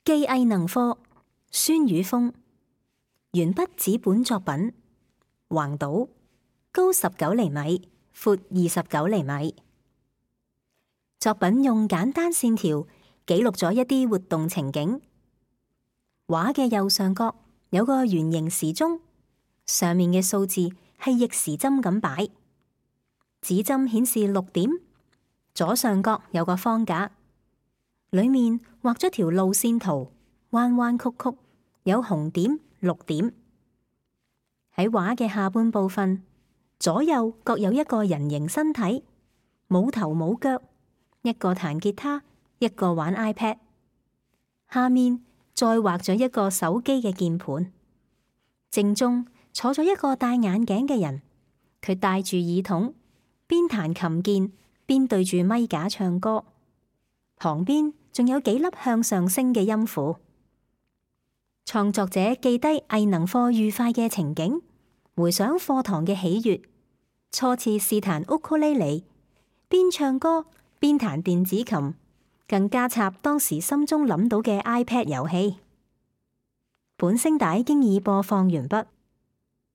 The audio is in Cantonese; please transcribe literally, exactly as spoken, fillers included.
記藝能課，孫宇峰。鉛筆紙本作品，橫島，高十九厘米，闊二十九厘米。作品用簡單線條記錄咗一啲活動情景。畫嘅右上角有個圓形時鐘，上面嘅數字係逆時針咁擺，指針顯示六點。左上角有個方格，裏面畫咗條路線圖，彎彎曲曲，有紅點、綠點。喺畫嘅下半部分，左右各有一個人形身體，冇頭冇腳，一個彈吉他，一個玩 iPad。下面再畫咗一個手機嘅鍵盤，正中坐咗一個戴眼鏡嘅人，佢戴住耳筒，邊彈琴鍵邊對住咪架唱歌，旁邊仲有幾粒向上升嘅音符。創作者記低藝能課愉快嘅情景，回想課堂嘅喜悅，初次試彈烏克麗麗，邊唱歌邊彈電子琴，更加插當時心中諗到嘅 iPad 遊戲。本聲帶經已播放完畢。